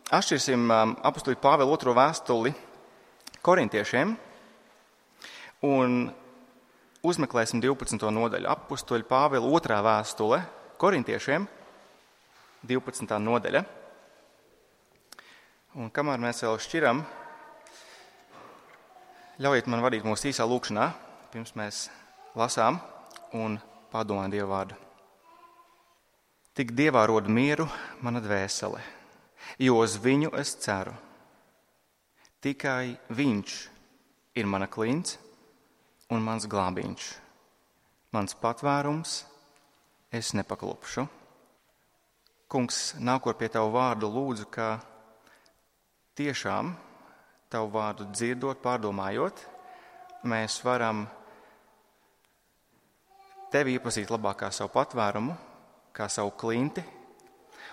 atšķirsim apustuļa Pāvila 2. vēstuli korintiešiem un uzmeklēsim 12. nodaļu. Apustuļa Pāvila 2. vēstule korintiešiem, 12. nodaļa. Un kamēr mēs vēl šķiram, ļaujiet man vadīt mūsu īsā lūkšanā, pirms mēs lasām un padomājam Dieva vārdu. Tik Dievā rod mieru mana dvēsele, jo uz viņu es ceru. Tikai viņš ir mana klints un mans glābiņš. Mans patvērums, es nepaklupšu. Kungs, nākot pie tavu vārdu, lūdzu, ka tiešām tavu vārdu dzirdot, pārdomājot, mēs varam tevi iepazīt labāk kā savu patvērumu, kā savu klinti,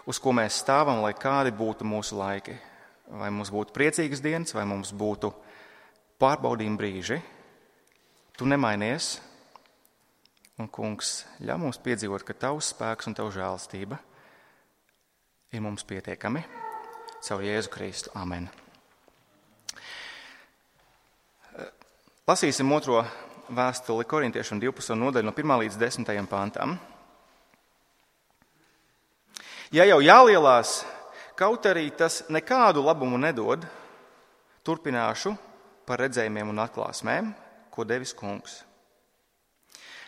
uz ko mēs stāvam, lai kādi būtu mūsu laiki. Vai mums būtu priecīgas dienas, vai mums būtu pārbaudījumi brīži. Tu nemainies, un, Kungs, ļauj mums piedzīvot, ka tavs spēks un tava žēlastība ir mums pietiekami. Caur Jēzu Kristu. Amen. Lasīsim 2. vēstuli korintiešiem 12. nodaļu no 1. līdz 10. pantam. Ja jau jālielās, kaut arī tas nekādu labumu nedod, turpināšu par redzējumiem un atklāsmēm, ko devis Kungs.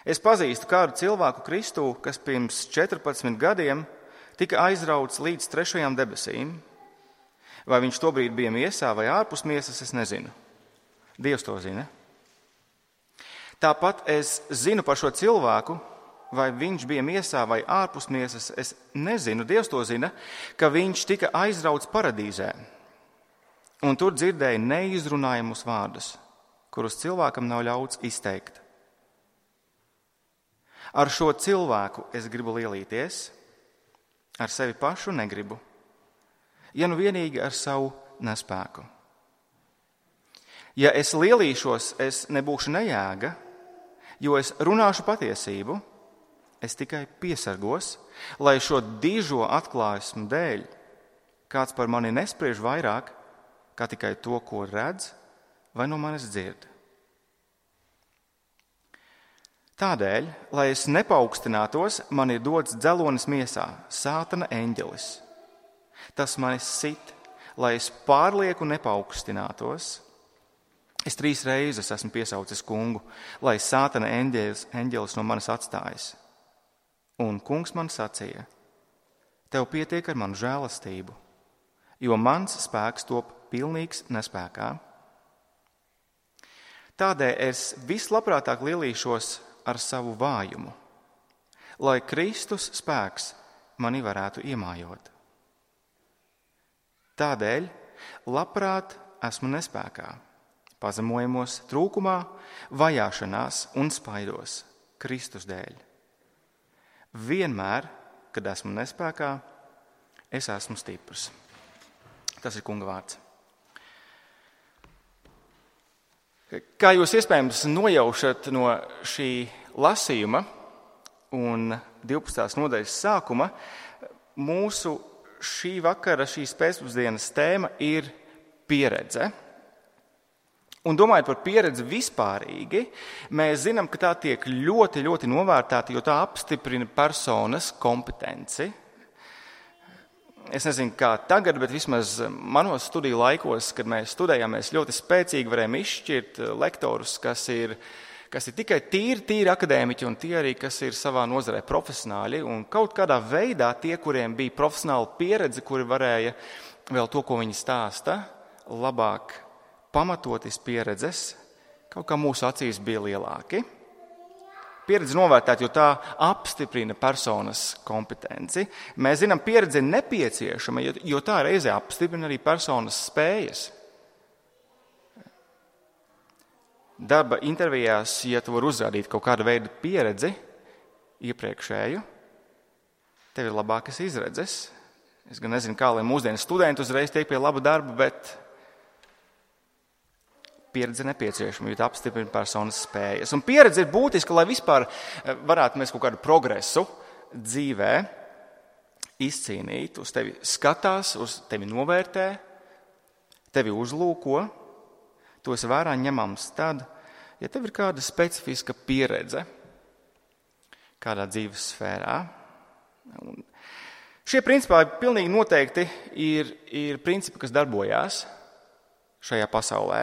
Es pazīstu kādu cilvēku Kristū, kas pirms 14 gadiem tika aizrauts līdz 3. debesīm. Vai viņš tobrīd bija miesā vai ārpus miesas, es nezinu. Dievs to zina. Tāpat es zinu par šo cilvēku, vai viņš bija miesā vai ārpus miesas, es nezinu, Dievs to zina, ka viņš tika aizrauts paradīzē. Un tur dzirdēja neizrunājumus vārdus, kurus cilvēkam nav ļauts izteikt. Ar šo cilvēku es gribu lielīties, ar sevi pašu negribu, ja nu vienīgi ar savu nespēku. Ja es lielīšos, es nebūšu nejēga, jo es runāšu patiesību, es tikai piesargos, lai šo dižo atklāsmu dēļ kāds par mani nespriež vairāk, kā tikai to, ko redz vai no manis dzird. Tādēļ, lai es nepaukstinātos, man ir dots dzelonis miesā, Sātana eņģelis. Tas mani sit, lai es pārlieku nepaukstinātos. Es 3 reizes esmu piesaucis Kungu, lai Sātana eņģelis no manis atstājas. Un Kungs man sacīja, tev pietiek ar manu žēlastību, jo mans spēks top pilnīgs nespēkā. Tādēļ es vislabprātāk lielīšos ar savu vājumu, lai Kristus spēks mani varētu iemājot. Tādēļ labprāt esmu nespēkā, pazemojumos, trūkumā, vajāšanās un spaidos Kristus dēļ. Vienmēr, kad esmu nespēkā, es esmu stiprs. Tas ir Kunga vārds. Kā jūs iespējams nojaušat no šī lasījuma un 12. nodaļas sākuma, mūsu šī vakara, šīs pēcpusdienas tēma ir pieredze. Un domājot par pieredzi vispārīgi, mēs zinām, ka tā tiek ļoti, ļoti novērtēta, jo tā apstiprina personas kompetenci. Es nezinu, kā tagad, bet vismaz manos studiju laikos, kad mēs studējām, mēs ļoti spēcīgi varējām izšķirt lektorus, kas ir tikai tīri akadēmiķi un tie arī, kas ir savā nozarē profesionāļi. Un kaut kādā veidā tie, kuriem bija profesionāla pieredze, kuri varēja vēl to, ko viņi stāsta, labāk pamatotis pieredzes, kaut kā mūsu acīs bija lielāki. Pieredze novērtēt, jo tā apstiprina personas kompetenci. Mēs zinām, pieredze ir nepieciešama, jo tā reizē apstiprina arī personas spējas. Darba intervijās, ja tu vari uzrādīt kaut kādu veidu pieredzi iepriekšēju, tev ir labākas izredzes. Es gan nezinu, kā lai mūsdienu studenti uzreiz tiek pie laba darba, bet pieredze nepieciešama, jo tā apstiprina personas spējas. Un pieredze ir būtiska, lai vispār varētu mēs kaut kādu progresu dzīvē izcīnīt, uz tevi skatās, uz tevi novērtē, tevi uzlūko, to esi vērā ņemams tad, ja tev ir kāda specifiska pieredze kādā dzīves sfērā. Un šie principā pilnīgi noteikti ir principi, kas darbojās šajā pasaulē,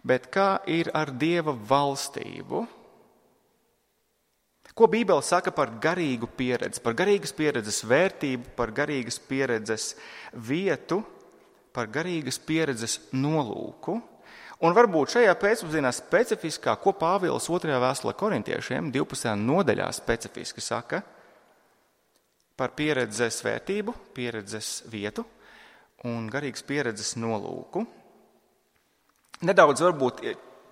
bet kā ir ar Dieva valstību? Ko Bībele saka par garīgu pieredzi, par garīgas pieredzes vērtību, par garīgas pieredzes vietu, par garīgas pieredzes nolūku? Un varbūt šajā pēcpusdienā specifiskā, ko Pāvils 2. vēstulē korintiešiem 12. nodaļā specifiski saka par pieredzes vērtību, pieredzes vietu un garīgas pieredzes nolūku. Nedaudz varbūt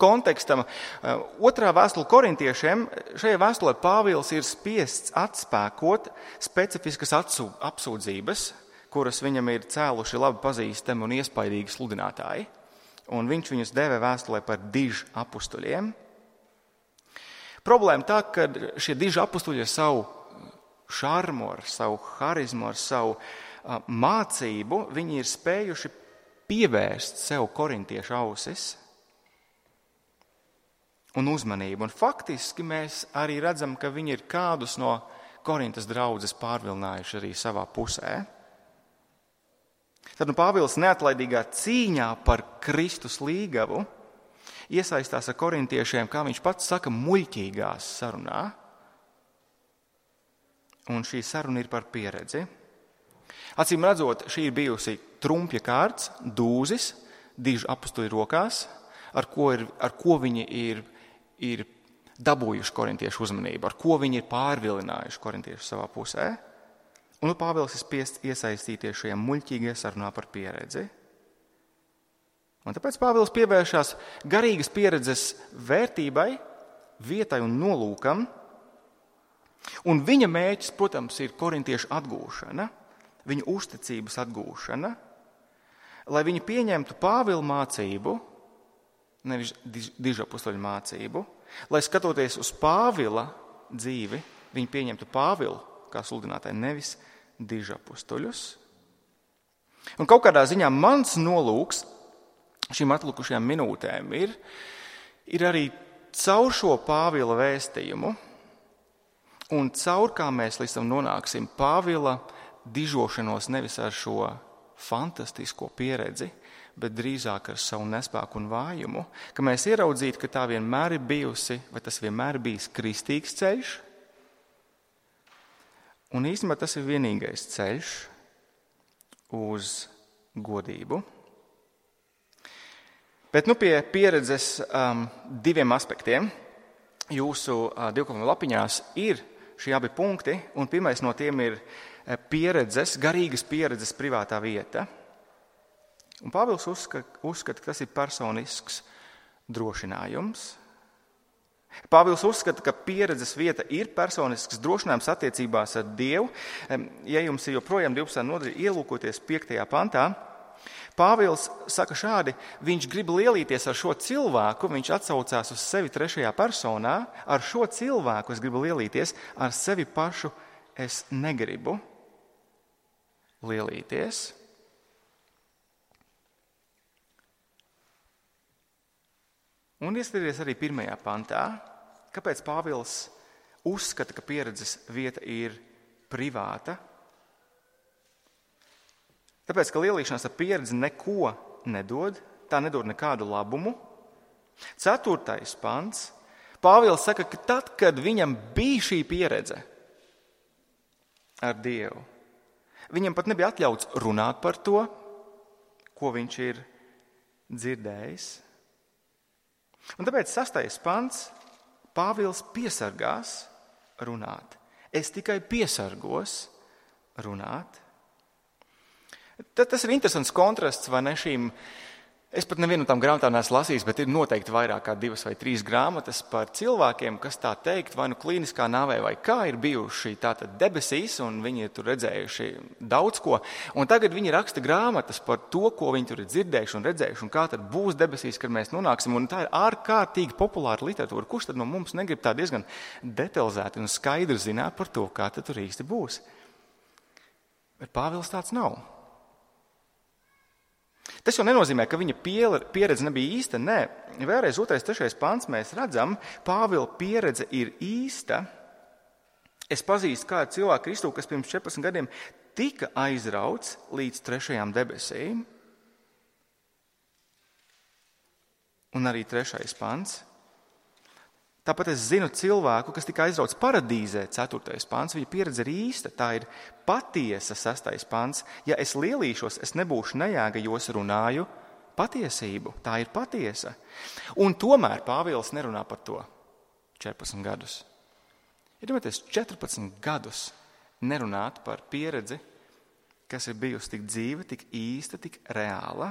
kontekstam. 2. vēstule korintiešiem, šajā vēstulē Pāvils ir spiests atspēkot specifiskas apsūdzības, kuras viņam ir cēluši labi pazīstami un iespaidīgi sludinātāji. Un viņš viņus dēvē vēstulē par dižu apustuļiem. Problēma tā, ka šie diži apustuļi ar savu šarmu, ar savu harizmu, ar savu mācību, viņi ir spējuši pievērst sev korintiešu ausis un uzmanību. Un faktiski mēs arī redzam, ka viņi ir kādus no Korintas draudzes pārvilinājuši arī savā pusē. Tad Pāvils neatlaidīgā cīņā par Kristus līgavu iesaistās ar korintiešiem, kā viņš pats saka, muļķīgās sarunā. Un šī saruna ir par pieredzi. Acīm redzot, šī ir bijusi trumpja kārts, dūzis, dižu apustuļu rokās, ar ko viņi ir dabūjuši korintiešu uzmanību, ar ko viņi ir pārvilinājuši korintiešu savā pusē. Un Pāvils ir spiests iesaistīties šajā muļķīgajā sarunā par pieredzi. Un tāpēc Pāvils pievēršās garīgas pieredzes vērtībai, vietai un nolūkam. Un viņa mērķis, protams, ir korintiešu atgūšana, viņu uzticības atgūšana, lai viņi pieņemtu Pāvila mācību, nevis dižapustuļu mācību, lai skatoties uz Pāvila dzīvi, viņi pieņemtu Pāvilu kā sludinātāju, nevis dižapustuļus. Un kaut kādā ziņā mans nolūks šīm atlikušajām minūtēm ir arī caur šo Pāvila vēstījumu un caur kā mēs līdz tam nonāksim Pāvila dižošanos nevis ar šo fantastisko pieredzi, bet drīzāk ar savu nespēku un vājumu, ka mēs ieraudzītu, ka tā vienmēr ir bijusi, vai tas vienmēr bijis kristīgs ceļš, un īstenībā tas ir vienīgais ceļš uz godību. Bet pie pieredzes diviem aspektiem jūsu divkopuma lapiņās ir šie abi punkti, un pirmais no tiem ir pieredzes, garīgas pieredzes privātā vieta. Un Pāvils uzskata, ka tas ir personisks drošinājums. Pāvils uzskata, ka pieredzes vieta ir personisks drošinājums attiecībās ar Dievu. Ja jums ir joprojām 12. nodaļa ielūkoties 5. pantā, Pāvils saka šādi, viņš grib lielīties ar šo cilvēku, viņš atsaucās uz sevi 3. personā, ar šo cilvēku es gribu lielīties, ar sevi pašu es negribu lielīties. Un ieskaties arī 1. pantā, kāpēc Pāvils uzskata, ka pieredzes vieta ir privāta. Tāpēc, ka lielīšanās ar pieredzi neko nedod, tā nedod nekādu labumu. 4. pants, Pāvils saka, ka tad, kad viņam bija šī pieredze ar Dievu, viņam pat nebija atļauts runāt par to, ko viņš ir dzirdējis. Un tāpēc 6. pants, Pāvils piesargās runāt. Es tikai piesargos runāt. Tas ir interesants kontrasts, vai ne, šīm, es pat nevienu no tām grāmatām neesmu lasījis, bet ir noteikti vairāk kā 2 vai 3 grāmatas par cilvēkiem, kas tā teikt, vai nu klīniskā nāvē, vai kā ir bijuši tātad debesīs, un viņi ir tur redzējuši daudz ko, un tagad viņi raksta grāmatas par to, ko viņi tur ir dzirdējuši un redzējuši, un kā tad būs debesīs, kad mēs nonāksim, un tā ir ārkārtīgi populāra literatūra. Kurš tad no mums negrib tā diezgan detalizēti un skaidri zināt par to, kā tad tur īsti būs? Bet Pāvils tāds nav. Tas jau nenozīmē, ka viņa pieredze nebija īsta. Nē, vēlreiz 2.3. pants mēs redzam, Pāvila pieredze ir īsta. Es pazīstu kādu cilvēku Kristu, kas pirms 14 gadiem tika aizrauts līdz 3. debesīm. Un arī 3. pants. Tāpat es zinu cilvēku, kas tika aizrauts paradīzē, 4. pants. Viņa pieredze ir īsta, tā ir patiesa, 6. pants. Ja es lielīšos, es nebūšu nejēga, jo es runāju patiesību. Tā ir patiesa. Un tomēr Pāvils nerunā par to 14 gadus. Iedomājieties, 14 gadus nerunāt par pieredzi, kas ir bijusi tik dzīva, tik īsta, tik reāla.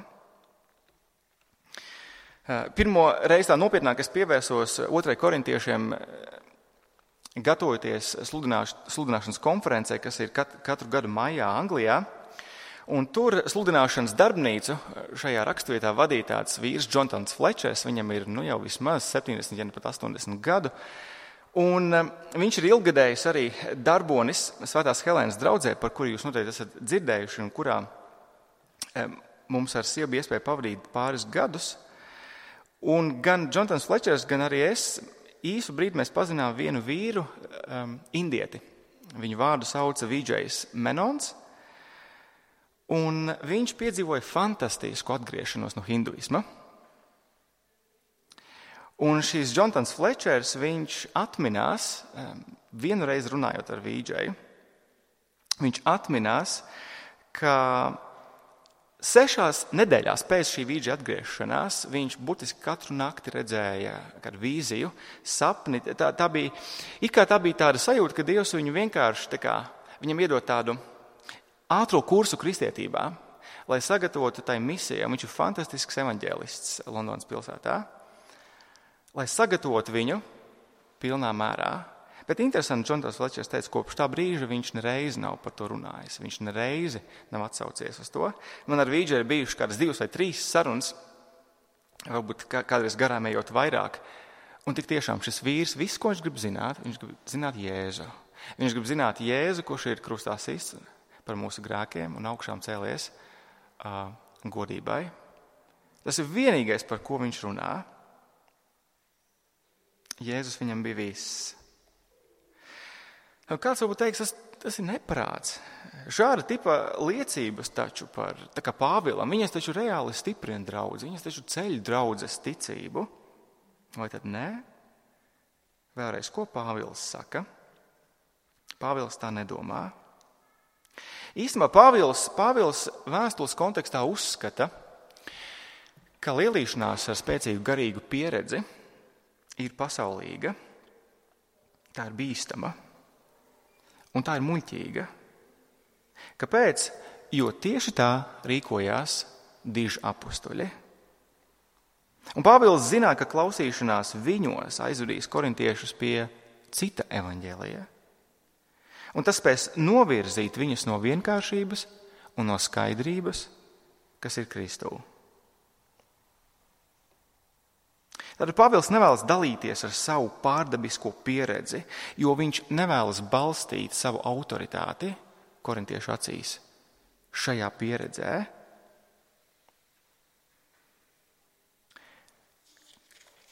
Pirmo reizi tā nopietnāk es pievērsos 2. korintiešiem, gatavojoties sludināšanas konferencē, kas ir katru gadu maijā Anglijā. Un tur sludināšanas darbnīcu šajā raksturvietā vadīja tāds vīrs Jonathans Fletchers. Viņam ir jau vismaz 70, ja ne pat 80 gadu. Un viņš ir ilggadējis arī darbonis Svētās Helēnas draudzē, par kuru jūs noteikti esat dzirdējuši, un kurā mums ar sievu iespēja pavadīt pāris gadus. Un gan Jonathans Fletchers, gan arī es īsu brīdi mēs pazinām vienu vīru, indieti. Viņu vārdu sauca Vijays Menons, un viņš piedzīvoja fantastisku atgriešanos no hinduisma. Un šīs Jonathans Fletchers, viņš atminās, vienu reizi runājot ar Vijayu, viņš atminās, ka 6 nedēļās pēc šī Vijaya atgriešanās viņš burtiski katru nakti redzēja kādu vīziju, sapni. Tā bija tāda sajūta, ka Dievs viņu vienkārši viņam iedod tādu ātro kursu kristietībā, lai sagatavotu tai misijai. Viņš ir fantastisks evaņģēlists Londonas pilsētā, lai sagatavotu viņu pilnā mērā. Bet interesanti, Jonathans Fletchers teica, kopš tā brīža viņš nereizi nav par to runājis. Viņš nereizi nav atsaucies uz to. Man ar Vīdžu ir bijuši kādas 2 vai 3 sarunas, varbūt kādreiz garām ejot vairāk. Un tik tiešām šis vīrs, viss, ko viņš grib zināt Jēzu. Viņš grib zināt Jēzu, kurš ir krustā sists par mūsu grēkiem un augšām cēlies godībai. Tas ir vienīgais, par ko viņš runā. Jēzus viņam bija viss. Kāds varbūt teiks, tas ir neprāts. Šāda tipa liecības taču par, tā kā Pāvilam, viņas taču reāli stiprina draudzi, viņas taču ceļ draudzes ticību. Vai tad nē? Vēlreiz, ko Pāvils saka? Pāvils tā nedomā. Īstenībā Pāvils vēstules kontekstā uzskata, ka lielīšanās ar spēcīgu garīgu pieredzi ir pasaulīga, tā ir bīstama. Un tā ir muļķīga. Kāpēc? Jo tieši tā rīkojās diži apustuļi. Un Pāvils zināja, ka klausīšanās viņos aizvedīs korintiešus pie cita evaņģēlija. Un tas spēs novirzīt viņus no vienkāršības un no skaidrības, kas ir Kristū. Tātad Pāvils nevēlas dalīties ar savu pārdabisko pieredzi, jo viņš nevēlas balstīt savu autoritāti korintiešu acīs šajā pieredzē.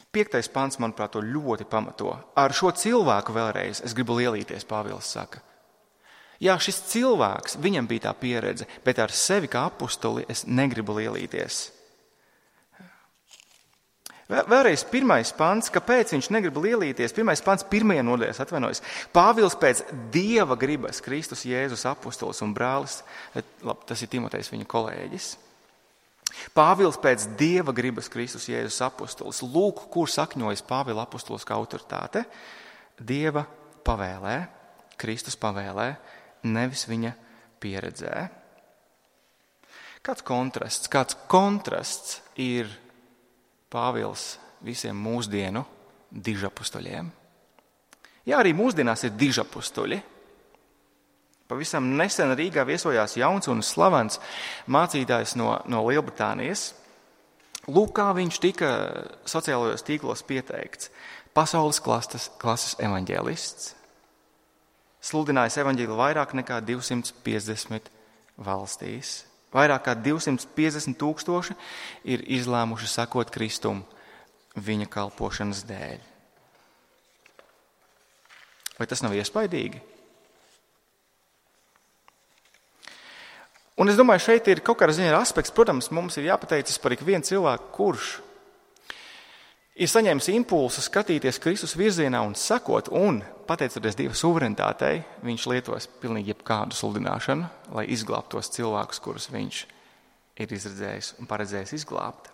Piektais pants, manuprāt, to ļoti pamato. Ar šo cilvēku vēlreiz es gribu lielīties, Pāvils saka. Jā, šis cilvēks, viņam bija tā pieredze, bet ar sevi kā apustuli es negribu lielīties. Vēlreiz 1. pants, kāpēc viņš negrib lielīties? 1. pants 1. nodaļās atvainojas. Pāvils pēc Dieva gribas, Kristus Jēzus apustulis un brālis, tas ir Timotejs viņa kolēģis. Pāvils pēc Dieva gribas, Kristus Jēzus apustulis. Lūk, kur sakņojas Pāvila apustuliskā autoritāte. Dieva pavēlē, Kristus pavēlē, nevis viņa pieredzē. Kāds kontrasts ir Pāvils visiem mūsdienu dižapustuļiem? Jā, arī mūsdienās ir dižapustuļi. Pavisam nesen Rīgā viesojās jauns un slavens mācītājs no Lielbritānijas. Lūk, kā viņš tika sociālajos tīklos pieteikts. Pasaules klases evaņģēlists. Sludinājis evaņģēli vairāk nekā 250 valstīs. Vairāk kā 250,000 ir izlēmuši sekot Kristum viņa kalpošanas dēļ. Vai tas nav iespaidīgi? Un es domāju, šeit ir kaut kādā ziņā aspekts, protams, mums ir jāpateicas par ikvienu cilvēku, kurš ir saņēmis impulsu skatīties Kristus virzienā un sekot, un, pateicoties Dieva suverenitātei, viņš lietos pilnīgi jebkādu sludināšanu, lai izglābtu tos cilvēkus, kurus viņš ir izredzējis un paredzējis izglābt.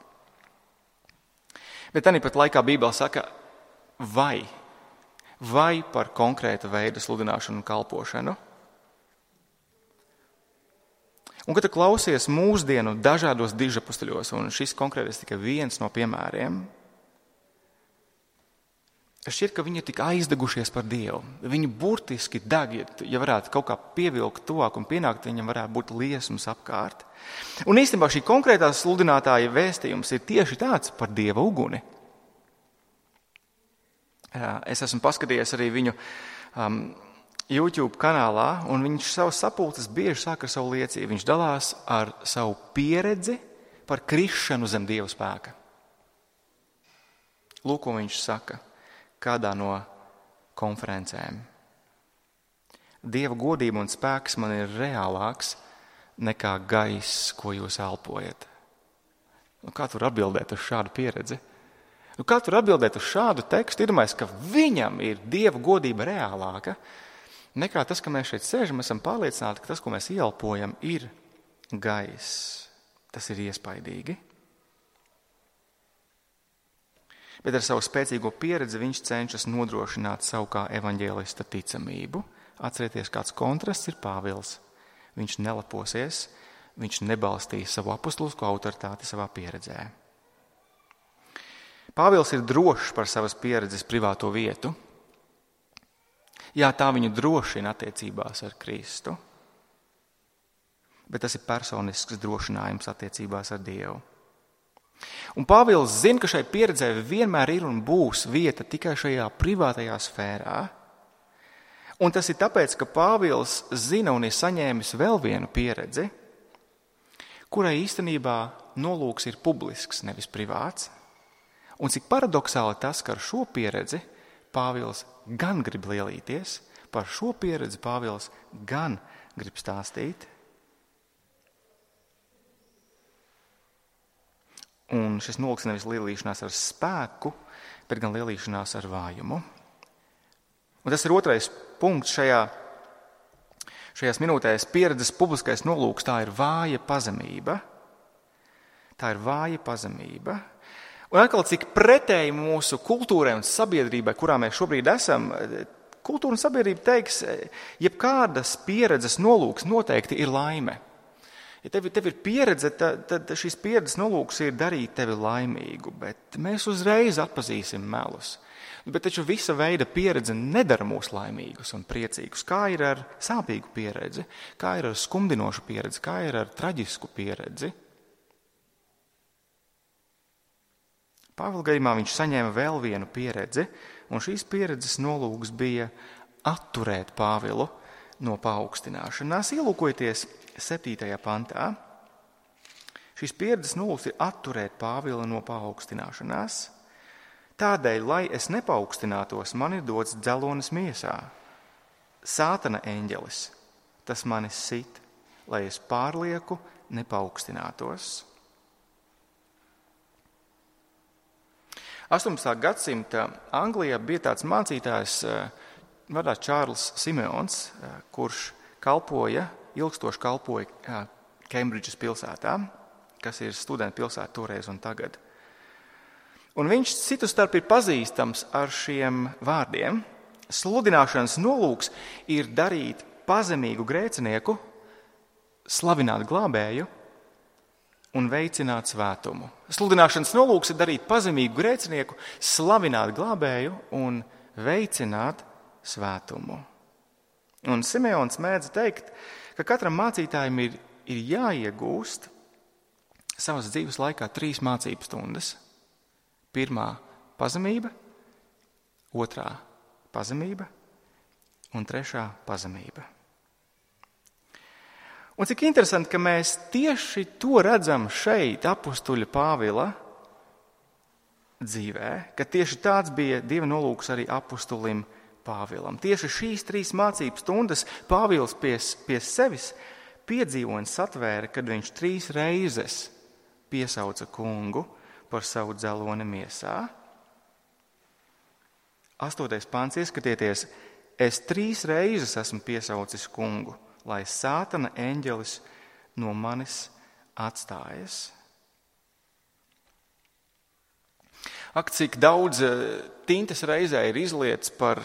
Bet tāpat laikā Bībele saka, vai par konkrēta veida sludināšanu un kalpošanu. Un, kad tu klausies mūsdienu dažādos dižapustuļos, un šis konkrētais tikai viens no piemēriem, šķiet, ka viņi ir tik aizdegušies par Dievu. Viņi burtiski deg, ja varētu kaut kā pievilkt tuvāk un pienākt, viņam varētu būt liesmas apkārt. Un īstenībā šī konkrētā sludinātāja vēstījums ir tieši tāds par Dieva uguni. Es esmu paskatījies arī viņu YouTube kanālā, un viņš savas sapulces bieži sāk ar savu liecību. Viņš dalās ar savu pieredzi par krišanu zem Dieva spēka. Lūk, ko viņš saka kādā no konferencēm. Dieva godība un spēks man ir reālāks nekā gaiss, ko jūs elpojat. Kā tu vari atbildēt uz šādu pieredzi? Kā tu vari atbildēt uz šādu tekstu? Iedomājies, ka viņam ir Dieva godība reālāka nekā tas, ka mēs šeit sēžam, esam pārliecināti, ka tas, ko mēs ieelpojam, ir gaiss. Tas ir iespaidīgi. Bet ar savu spēcīgo pieredzi viņš cenšas nodrošināt savu kā evaņģēlista ticamību. Atcerieties, kāds kontrasts ir Pāvils. Viņš neleposies, viņš nebalstīja savu apostulisko autoritāti savā pieredzē. Pāvils ir drošs par savas pieredzes privāto vietu. Jā, tā viņu drošina attiecībās ar Kristu, bet tas ir personisks drošinājums attiecībās ar Dievu. Un Pāvils zina, ka šai pieredzē vienmēr ir un būs vieta tikai šajā privātajā sfērā. Un tas ir tāpēc, ka Pāvils zina un ir saņēmis vēl vienu pieredzi, kurai īstenībā nolūks ir publisks, nevis privāts. Un cik paradoxāli tas, ka ar šo pieredzi Pāvils gan grib lielīties, par šo pieredzi Pāvils gan grib stāstīt. Un šis nolūks nevis lielīšanās ar spēku, bet gan lielīšanās ar vājumu. Un tas ir otrais punkts šajās minūtēs. Pieredzes publiskais nolūks, tā ir vāja pazemība. Tā ir vāja pazemība. Un atkal, cik pretēji mūsu kultūrai un sabiedrībai, kurā mēs šobrīd esam, kultūra un sabiedrība teiks, jebkādas pieredzes nolūks noteikti ir laime. Ja tev ir pieredze, tad šīs pieredzes nolūks ir darīt tevi laimīgu, bet mēs uzreiz atpazīsim melus. Bet taču visa veida pieredze nedara mūs laimīgus un priecīgus. Kā ir ar sāpīgu pieredzi, kā ir ar skumdinošu pieredzi, kā ir ar traģisku pieredzi. Pāvila gadījumā viņš saņēma vēl vienu pieredzi, un šīs pieredzes nolūks bija atturēt Pāvilu no paaugstināšanās. Ielūkojieties 7. pantā. Šīs pieredzes nolūks ir atturēt Pāvilu no paaugstināšanās. Tādēļ, lai es nepaukstinātos, man ir dots dzelonis miesā. Sātana eņģelis, tas mani sit, lai es pārlieku nepaukstinātos. 18. gadsimta Anglijā bija tāds mācītājs vārdā Čārls Simeons, kurš ilgstoši kalpoja Kembridžas pilsētā, kas ir studentu pilsēta toreiz un tagad. Un viņš citu starp ir pazīstams ar šiem vārdiem. Sludināšanas nolūks ir darīt pazemīgu grēcinieku, slavināt glābēju un veicināt svētumu. Sludināšanas nolūks ir darīt pazemīgu grēcinieku, slavināt glābēju un veicināt svētumu. Un Simeons mēdz teikt, ka katram mācītājam ir jāiegūst savas dzīves laikā 3 mācības stundas. 1. pazemība, 2. pazemība un 3. pazemība. Un cik interesanti, ka mēs tieši to redzam šeit, apustuļa Pāvila dzīvē, ka tieši tāds bija Dieva nolūks arī apustulim Pāvilam. Tieši šīs 3 mācību stundas Pāvils pie sevis piedzīvoja un satvēra, kad viņš 3 reizes piesauca kungu par savu dzeloni miesā. 8. pants, ieskatieties, es 3 reizes esmu piesaucis kungu, lai sātana eņģelis no manis atstājas. Ak, cik daudz tintas reizē ir izlietas par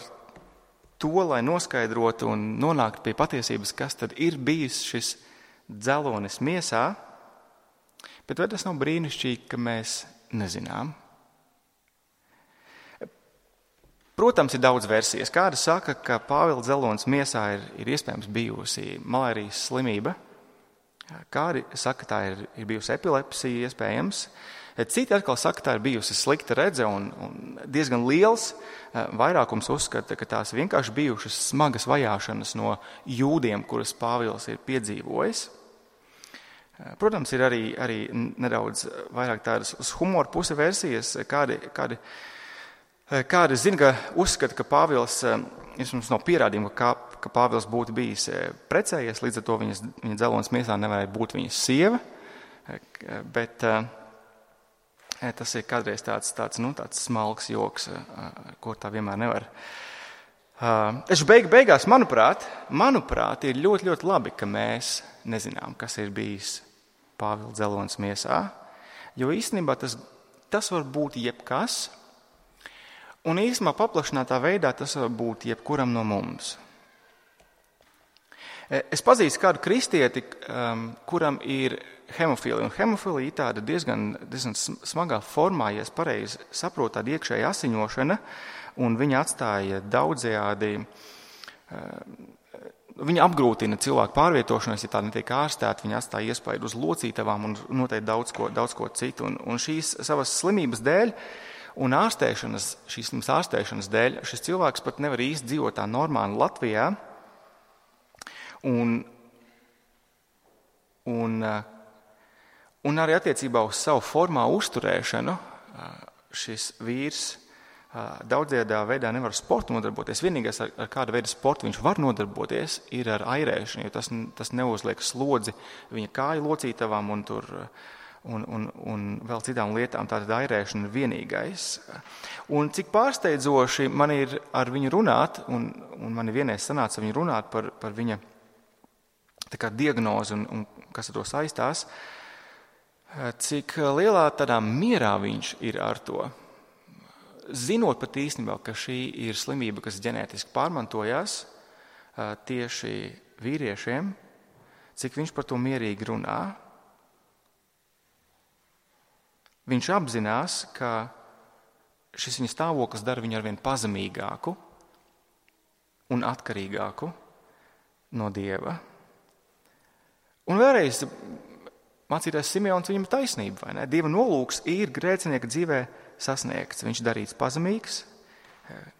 to, lai noskaidrotu un nonāktu pie patiesības, kas tad ir bijis šis dzelonis miesā, bet vai tas nav brīnišķīgi, ka mēs nezinām? Protams, ir daudz versijas. Kāda saka, ka Pāvila dzelonis miesā ir iespējams bijusi malārijas slimība, kādi saka, tā ir bijusi epilepsija iespējams. Citi atkal saka, tā ir bijusi slikta redze un diezgan liels vairākums uzskata, ka tās vienkārši bijušas smagas vajāšanas no jūdiem, kuras Pāvils ir piedzīvojis. Protams, ir arī nedaudz vairāk tādas uz humoru puse versijas, kādi zina, ka uzskata, ka Pāvils, mums nav pierādījuma, ka Pāvils būtu bijis precējies, līdz ar to viņa dzelonis miesā nevarētu būt viņas sieva, bet tas ir kādreiz tāds smalks joks, ko tā vienmēr nevar. Taču beigās, manuprāt, ir ļoti, ļoti labi, ka mēs nezinām, kas ir bijis Pāvila dzelonis miesā, jo īstenībā tas var būt jebkas, un īstenībā paplašinātā veidā tas var būt jebkuram no mums. Es pazīstu kādu kristieti, kuram ir hemofīlija, un hemofīlija ir tāda diezgan smagā formā, ja es pareizi saprotu, tāda iekšēja asiņošana, un viņa atstāja daudzējādi, viņa apgrūtina cilvēku pārvietošanos, ja tā netiek ārstēta, viņa atstāja iespaidu uz locītavām un noteikti daudz ko citu, un šīs savas slimības dēļ un šīs slimas ārstēšanas dēļ šis cilvēks pat nevar īsti dzīvot tā normāli Latvijā, un arī attiecībā uz savu formā uzturēšanu šis vīrs daudzajā veidā nevar sportu nodarboties. Vienīgais, ar kādu veidu sportu viņš var nodarboties, ir ar airēšanu, jo tas neuzliek slodzi viņa kāju locītavām un vēl citām lietām. Tātad airēšana ir vienīgais. Un cik pārsteidzoši man ir ar viņu runāt, un man ir vienreiz sanāca viņu runāt par viņa tā kā diagnozi un kas ar to saistās, cik lielā tādā mierā viņš ir ar to. Zinot pat īstenībā, ka šī ir slimība, kas ģenētiski pārmantojās tieši vīriešiem, cik viņš par to mierīgi runā. Viņš apzinās, ka šis viņa stāvoklis dara viņu arvien pazemīgāku un atkarīgāku no Dieva. Un vēlreiz mācītājs Simeons viņam taisnība, vai ne? Dieva nolūks ir grēcinieka dzīvē sasniegts. Viņš darīts pazemīgs.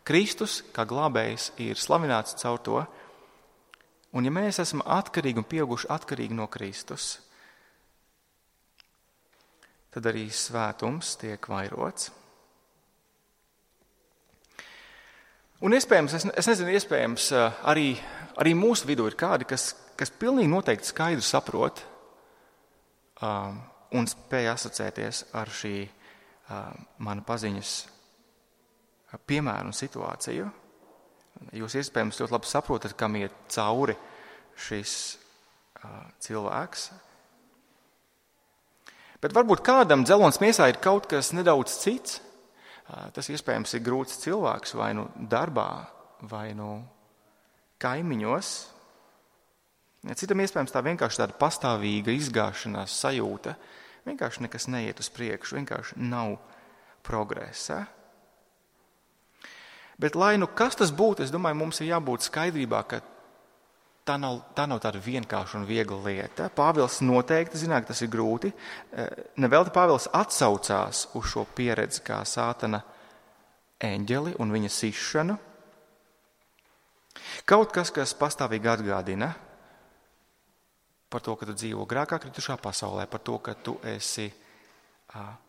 Kristus, kā glābējs, ir slavināts caur to. Un ja mēs esam atkarīgi un pieauguši atkarīgi no Kristus, tad arī svētums tiek vairots. Un iespējams, es nezinu, iespējams arī mūsu vidū ir kādi, kas pilnīgi noteikti skaidri saprot un spēja asociēties ar šī mana paziņas piemēru un situāciju. Jūs iespējams ļoti labi saprotat, kam iet cauri šis cilvēks. Bet varbūt kādam dzelonis miesā ir kaut kas nedaudz cits. Tas iespējams ir grūts cilvēks vai nu darbā, vai nu kaimiņos. Citam iespējams tā vienkārši tāda pastāvīga izgāšanās sajūta. Vienkārši nekas neiet uz priekšu, vienkārši nav progresa. Bet lai nu kas tas būtu, es domāju, mums ir jābūt skaidrībā, ka tā nav tāda vienkārša un viegla lieta. Pāvils noteikti zina, ka tas ir grūti. Nevelti Pāvils atsaucās uz šo pieredzi kā sātana eņģeli un viņa sišanu. Kaut kas pastāvīgi atgādina, par to, ka tu dzīvo grēkā kritušā pasaulē, par to, ka tu esi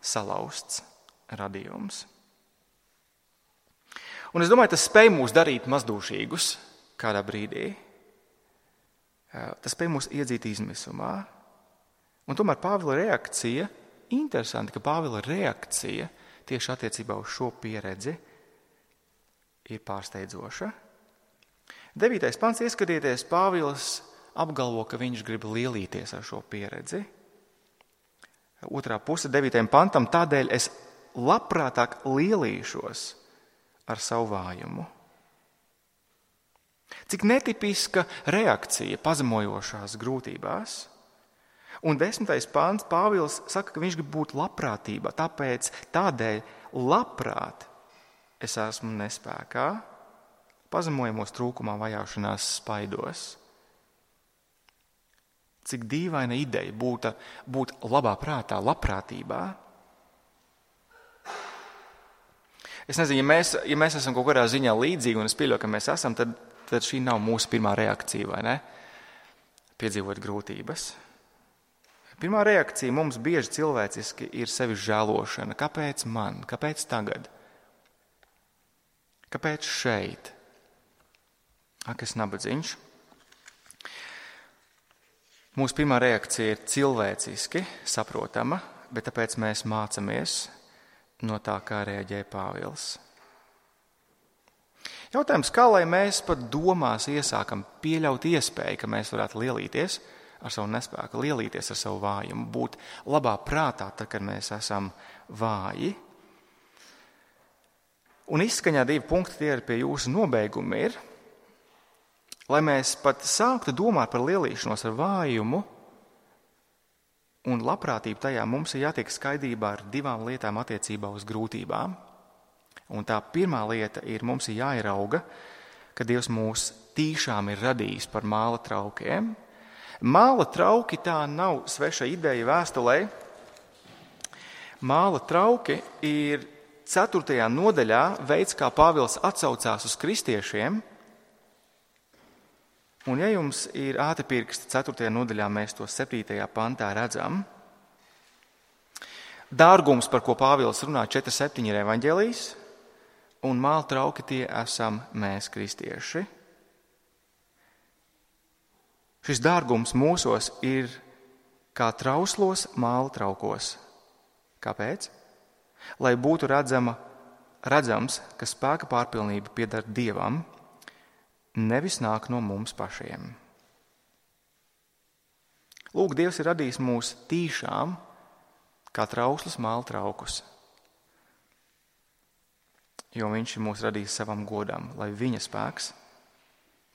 salauzts radījums. Un es domāju, tas spēj mūs darīt mazdūšīgus kādā brīdī. Tas spēj mūs iedzīt izmisumā. Un tomēr Pāvila reakcija, interesanti, ka Pāvila reakcija tieši attiecībā uz šo pieredzi ir pārsteidzoša. 9. pants, ieskatieties, Pāvils apgalvo, ka viņš grib lielīties ar šo pieredzi. Otrā puse 9. pantam, tādēļ es labprātāk lielīšos ar savu vājumu. Cik netipiska reakcija pazemojošās grūtībās. Un 10. pants Pāvils saka, ka viņš grib būt labprātībā, tādēļ labprāt es esmu nespēkā, pazemojumos, trūkumā, vajāšanās, spaidos. Cik dīvaina ideja būt labā prātā, labprātībā. Es nezinu, ja mēs esam kaut kādā ziņā līdzīgi, un es pieļauju, ka mēs esam, tad šī nav mūsu pirmā reakcija, vai ne? Piedzīvot grūtības. Pirmā reakcija mums bieži cilvēciski ir sevi žēlošana. Kāpēc man? Kāpēc tagad? Kāpēc šeit? Ak, es nabadzīņš. Mūsu pirmā reakcija ir cilvēciski saprotama, bet tāpēc mēs mācamies no tā, kā reaģēja Pāvils. Jautājums, kā lai mēs pat domās iesākam pieļaut iespēju, ka mēs varētu lielīties ar savu nespēku, lielīties ar savu vājumu, būt labā prātā, tad, kad mēs esam vāji. Un izskaņā 2 punkti, tie ir pie jūsu nobeiguma ir, lai mēs pat sāktu domāt par lielīšanos ar vājumu un labprātību tajā, mums ir jātiek skaidrībā ar 2 lietām attiecībā uz grūtībām. Un tā pirmā lieta ir, mums ir jāierauga, ka Dievs mūs tīšām ir radījis par māla traukiem. Māla trauki tā nav sveša ideja vēstulē. Māla trauki ir 4. nodaļā veids, kā Pāvils atsaucās uz kristiešiem. Un ja jums ir ātrpirksti 4. nodaļā, mēs to 7. pantā redzam. Dārgums, par ko Pāvils runā 4.7 ir evaņģēlijs, un māla trauki tie esam mēs kristieši. Šis dārgums mūsos ir kā trauslos māla traukos. Kāpēc? Lai būtu redzams, ka spēka pārpilnība pieder Dievam, nevis nāk no mums pašiem. Lūk, Dievs ir radījis mūs tīšām, kā trauslus māla traukus, jo viņš ir mūs radījis savam godam, lai viņa spēks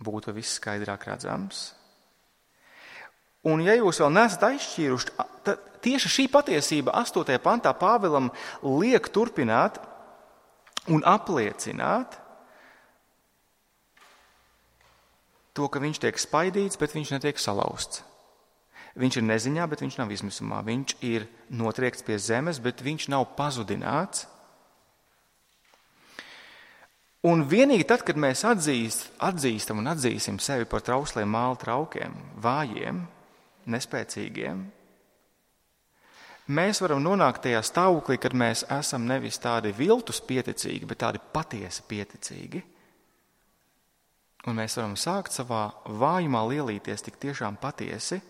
būtu viss skaidrāk redzams. Un ja jūs vēl neesat aizšķīruši, tad tieši šī patiesība 8. pantā Pāvilam liek turpināt un apliecināt to, ka viņš tiek spaidīts, bet viņš netiek salauzts. Viņš ir neziņā, bet viņš nav izmisumā. Viņš ir notriekts pie zemes, bet viņš nav pazudināts. Un vienīgi tad, kad mēs atzīstam un atzīsim sevi par trausliem māla traukiem, vājiem, nespēcīgiem, mēs varam nonākt tajā stāvoklī, kad mēs esam nevis tādi viltus pieticīgi, bet tādi patiesi pieticīgi. Un mēs varam sākt savā vājumā lielīties tik tiešām patiesi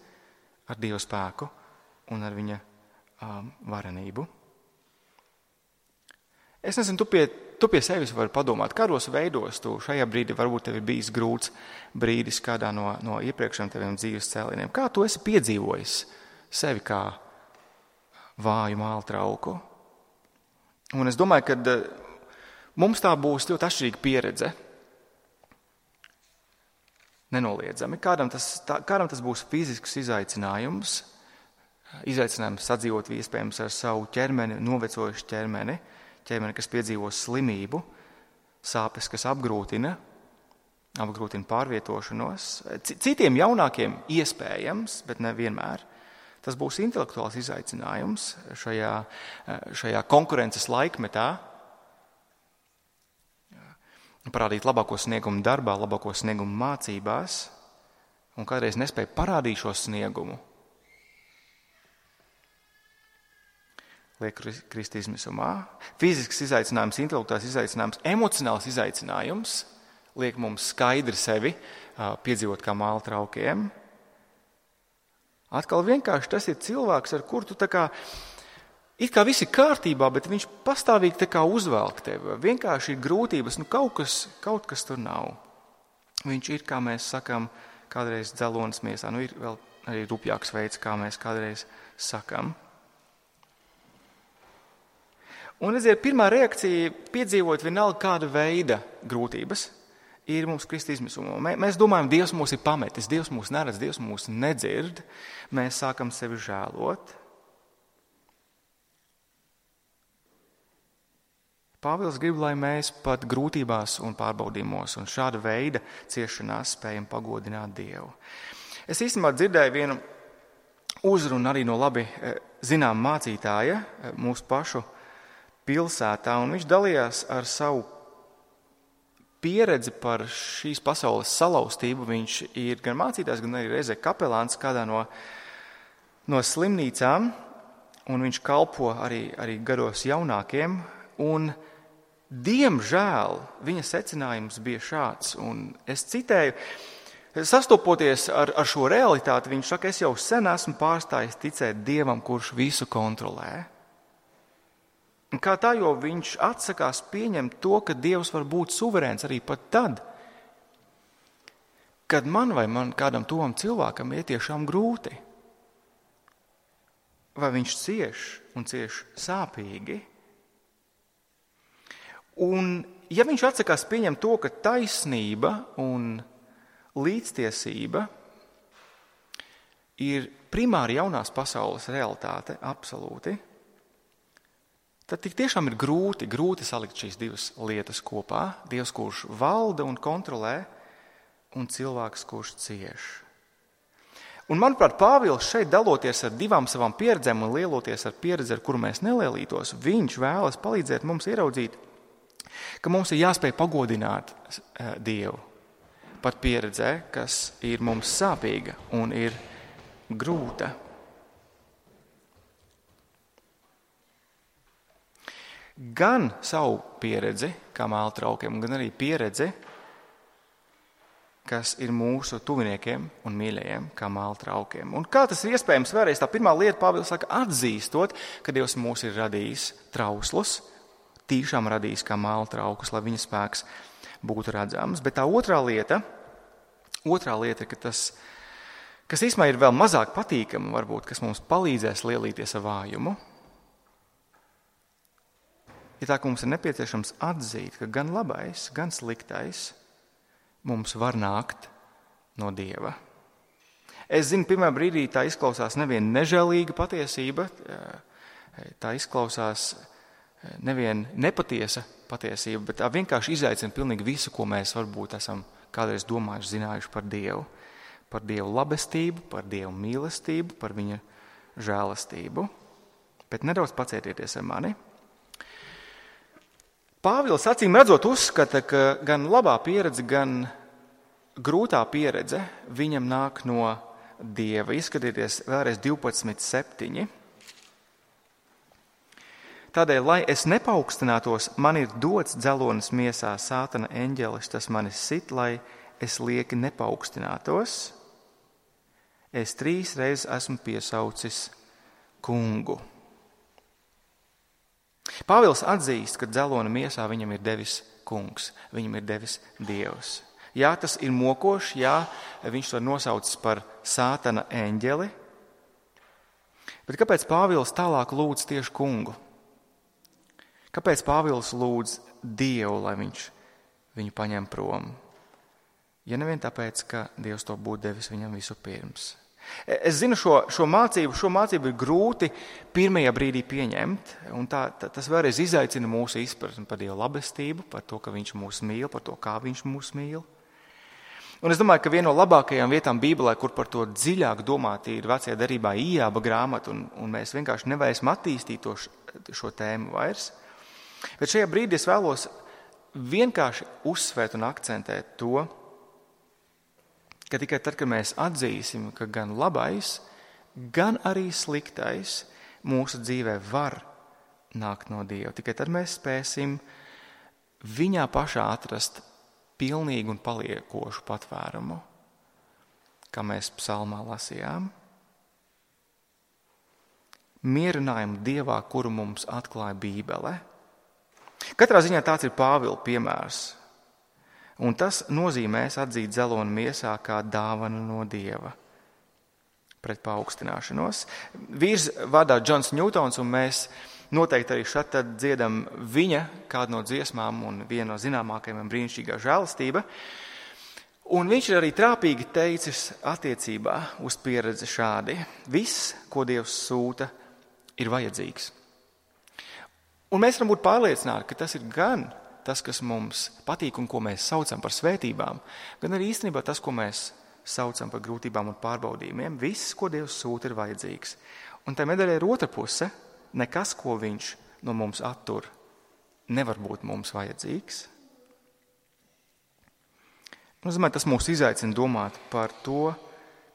ar Dieva spēku un ar viņa varenību. Es nezinu, tu pie sevis vari padomāt, kādos veidos tu šajā brīdī varbūt tev ir bijis grūts brīdis kādā no iepriekšējiem teviem dzīves cēlieniem. Kā tu esi piedzīvojis sevi kā vāju māla trauku? Un es domāju, ka mums tā būs ļoti atšķirīga pieredze. Nenoliedzami. Kādam tas būs fizisks izaicinājums sadzīvot iespējams ar savu ķermeni, novecojušu ķermeni, kas piedzīvo slimību, sāpes, kas apgrūtina pārvietošanos. Citiem jaunākiem iespējams, bet ne vienmēr. Tas būs intelektuāls izaicinājums šajā konkurences laikmetā. Parādīt labāko sniegumu darbā, labāko sniegumu mācībās un kādreiz nespēja parādīt šo sniegumu, liek krist izmisumā. Fizisks izaicinājums, intelektuāls izaicinājums, emocionāls izaicinājums liek mums skaidri sevi piedzīvot kā māla traukiem. Atkal vienkārši tas ir cilvēks, ar kuru tu tā kā, it kā viss ir kārtībā, bet viņš pastāvīgi tā kā uzvelk tevi. Vienkārši ir grūtības, kaut kas tur nav. Viņš ir, kā mēs sakam, kādreiz dzelonis miesā. Ir vēl arī rupjāks veids, kā mēs kādreiz sakam. Un, redziet, pirmā reakcija piedzīvot vienalga kāda veida grūtības ir mums krist izmisumā. Mēs domājam, Dievs mūs ir pametis, Dievs mūs neredz, Dievs mūs nedzird. Mēs sākam sevi žēlot. Pāvils grib, lai mēs pat grūtībās un pārbaudījumos un šāda veida ciešanās spējam pagodināt Dievu. Es īstenībā dzirdēju vienu uzrunu arī no labi zinām mācītāja mūsu pašu pilsētā, un viņš dalījās ar savu pieredzi par šīs pasaules salauztību. Viņš ir gan mācītājs, gan arī reizē kapelāns kādā no slimnīcām, un viņš kalpo arī gados jaunākiem, un diemžēl viņa secinājums bija šāds, un es citēju, sastopoties ar šo realitāti, viņš saka, es jau sen esmu pārstājis ticēt Dievam, kurš visu kontrolē. Un kā tā, jo viņš atsakās pieņemt to, ka Dievs var būt suverēns arī pat tad, kad man vai kādam tovam cilvēkam ir tiešām grūti. Vai viņš cieš un cieš sāpīgi. Un ja viņš atsakās pieņemt to, ka taisnība un līdztiesība ir primāri jaunās pasaules realitāte, absolūti, tad tik tiešām ir grūti salikt šīs divas lietas kopā. Dievs, kurš valda un kontrolē, un cilvēks, kurš cieš. Un, manuprāt, Pāvils šeit daloties ar divām savām pieredzēm un lieloties ar pieredzi, ar kuru mēs nelielītos, viņš vēlas palīdzēt mums ieraudzīt, ka mums ir jāspēj pagodināt Dievu pat pieredzē, kas ir mums sāpīga un ir grūta. Gan savu pieredzi, kā māla traukiem, gan arī pieredzi, kas ir mūsu tuviniekiem un mīļajiem, kā māla traukiem. Un kā tas ir iespējams? Vēlreiz tā pirmā lieta, Pāvils saka, atzīstot, ka Dievs mūs ir radījis trauslus, tīšām radījis kā māla traukus, lai viņa spēks būtu redzams. Bet tā otrā lieta, ka tas, kas īstenībā ir vēl mazāk patīkama, varbūt, kas mums palīdzēs lielīties ar vājumu, ir tā, ka mums ir nepieciešams atzīt, ka gan labais, gan sliktais mums var nākt no Dieva. Es zinu, pirmā brīdī tā izklausās nevien nežēlīga patiesība, tā izklausās nevien nepatiesa patiesība, bet tā vienkārši izaicina pilnīgi visu, ko mēs varbūt esam kādreiz domājuši, zinājuši par Dievu. Par Dievu labestību, par Dievu mīlestību, par viņa žēlastību. Bet nedaudz pacietieties ar mani. Pāvils acīm redzot uzskata, ka gan labā pieredze, gan grūtā pieredze viņam nāk no Dieva. Izskatieties vēlreiz 12.7. Tādēļ, lai es nepaukstinātos, man ir dots dzelonis miesā sātana eņģelis, tas mani sit, lai es lieki nepaukstinātos. Es 3 reizes esmu piesaucis kungu. Pāvils atzīst, ka dzelona miesā viņam ir devis kungs, viņam ir devis Dievs. Jā, tas ir mokoši, jā, viņš to nosaucis par sātana eņģeli. Bet kāpēc Pāvils tālāk lūdz tieši kungu? Kāpēc Pāvils lūdz Dievu, lai viņš viņu paņem prom? Ja nevien tāpēc, ka Dievs to būtu devis viņam visu pirms. Es zinu, šo mācību ir grūti pirmajā brīdī pieņemt, un tas vēlreiz izaicina mūsu izpratni par Dieva labestību, par to, ka viņš mūs mīl, par to, kā viņš mūs mīl. Un es domāju, ka viena no labākajām vietām Bībelē, kur par to dziļāk domāt, ir Vecajā derībā Ijāba grāmata, un mēs vienkārši nevarēsim attīstīt šo tēmu vairs. Bet šajā brīdī es vēlos vienkārši uzsvērt un akcentēt to, ka tikai tad, kad mēs atzīsim, ka gan labais, gan arī sliktais mūsu dzīvē var nākt no Dieva, tikai tad mēs spēsim viņā pašā atrast pilnīgu un paliekošu patvērumu, kā mēs psalmā lasījām. Mierinājumu Dievā, kuru mums atklāja Bībele. Katrā ziņā tāds ir Pāvila piemērs. Un tas nozīmēs atzīt dzeloni miesā kā dāvanu no Dieva pret paaugstināšanos. Vīrs vārdā Džons Ņūtons, un mēs noteikti arī šeit tad dziedam viņa kādu no dziesmām un vienu no zināmākajiem brīnišķīgā žēlastība. Un viņš ir arī trāpīgi teicis attiecībā uz pieredzi šādi. Viss, ko Dievs sūta, ir vajadzīgs. Un mēs varam būt pārliecināti, ka tas ir gan tas, kas mums patīk un ko mēs saucam par svētībām, gan arī īstenībā tas, ko mēs saucam par grūtībām un pārbaudījumiem. Viss, ko Dievs sūta, ir vajadzīgs. Un tā medaļa ir otra puse. Nekas, ko viņš no mums attur, nevar būt mums vajadzīgs. Tas mūs izaicina domāt par to,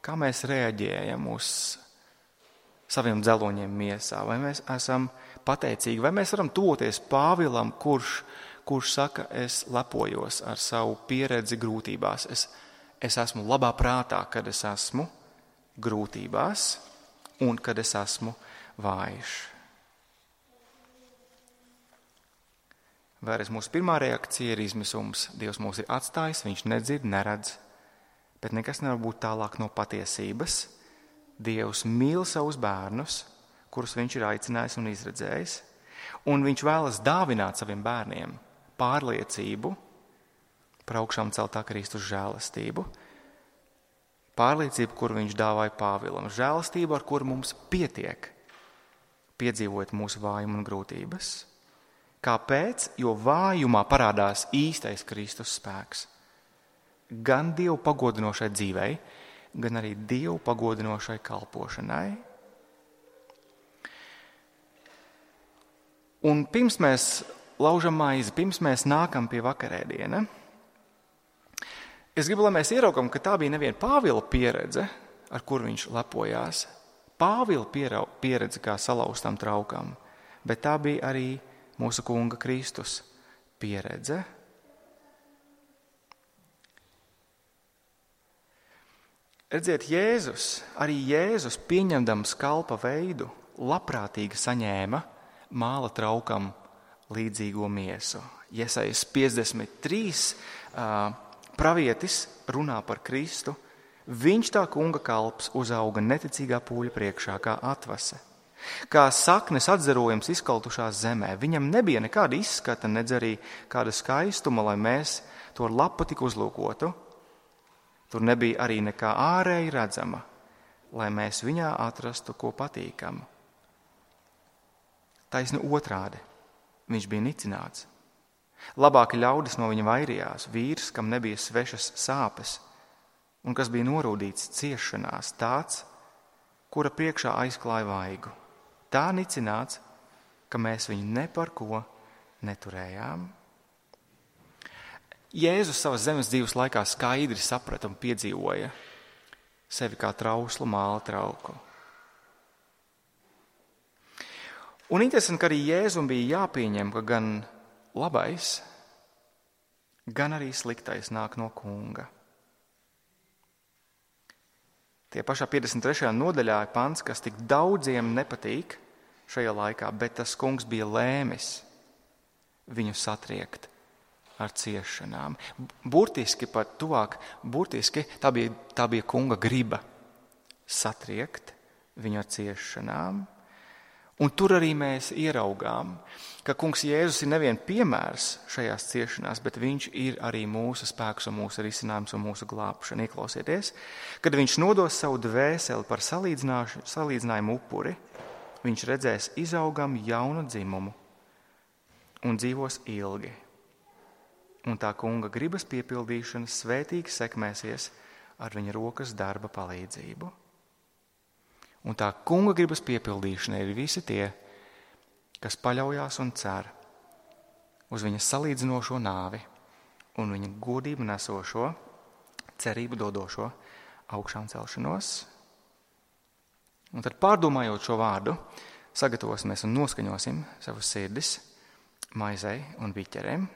kā mēs reaģējam uz saviem dzeloņiem miesā. Vai mēs esam pateicīgi, vai mēs varam toties Pāvilam, kurš saka, es lepojos ar savu pieredzi grūtībās. Es esmu labā prātā, kad es esmu grūtībās un kad es esmu vājš. Vēlreiz mūsu pirmā reakcija ir izmisums. Dievs mūs ir atstājis, viņš nedzird, neredz, bet nekas nevar būt tālāk no patiesības. Dievs mīl savus bērnus, kurus viņš ir aicinājis un izredzējis, un viņš vēlas dāvināt saviem bērniem pārliecību par augšām celtā Kristus žēlastību. Pārliecību, kuru viņš dāvāja Pāvilam, žēlastību, ar kuru mums pietiek, piedzīvojot mūsu vājumu un grūtības. Kāpēc? Jo vājumā parādās īstais Kristus spēks. Gan Dievu pagodinošai dzīvei, gan arī Dievu pagodinošai kalpošanai. Un pirms mēs laužam maizi, pirms mēs nākam pie vakarēdiena, es gribu, lai mēs ieraugam, ka tā bija neviena Pāvila pieredze, ar kuru viņš lepojās. Pāvila pieredze kā salauztam traukam, bet tā bija arī mūsu Kunga Kristus pieredze. Redziet, arī Jēzus pieņemdams kalpa veidu, labprātīgi saņēma māla traukam līdzīgo miesu. Jesajas 53 pravietis runā par Kristu. Viņš tā Kunga kalps uzauga neticīgā pūļa priekšā kā atvase. Kā saknes atzarojums izkaltušā zemē. Viņam nebija nekāda izskata, nedz arī kāda skaistuma, lai mēs to ar lapu tik uzlūkotu. Tur nebija arī nekā ārēji redzama, lai mēs viņā atrastu ko patīkamu. Taisni otrādi, viņš bija nicināts. Labāki ļaudis no viņa vairījās, vīrs, kam nebija svešas sāpes, un kas bija norūdīts ciešanās, tāds, kura priekšā aizklāja vaigu. Tā nicināts, ka mēs viņu ne par ko neturējām. Jēzus savas zemes dzīves laikā skaidri saprata un piedzīvoja sevi kā trauslu māla trauku. Un interesanti, ka arī Jēzum bija jāpieņem, ka gan labais, gan arī sliktais nāk no Kunga. Tie pašā 53. nodaļā ir pants, kas tik daudziem nepatīk šajā laikā, bet tas Kungs bija lēmis viņu satriekt ar ciešanām. Burtiski pat tuvāk, tā bija Kunga griba satriekt viņu ar ciešanām. Un tur arī mēs ieraugām, ka Kungs Jēzus ir nevien piemērs šajās ciešanās, bet viņš ir arī mūsu spēks un mūsu risinājums un mūsu glābšana. Ieklausieties, kad viņš nodos savu dvēseli par salīdzinājumu upuri, viņš redzēs izaugam jaunu dzimumu un dzīvos ilgi. Un tā Kunga gribas piepildīšana svētīgi sekmēsies ar viņa rokas darba palīdzību. Un tā Kunga gribas piepildīšana ir visi tie, kas paļaujās un cer uz viņa salīdzinošo nāvi un viņa godību nesošo, cerību dodošo augšām celšanos. Un tad pārdomājot šo vārdu, sagatavosimies un noskaņosim savus sirdis maizei un biķerēm.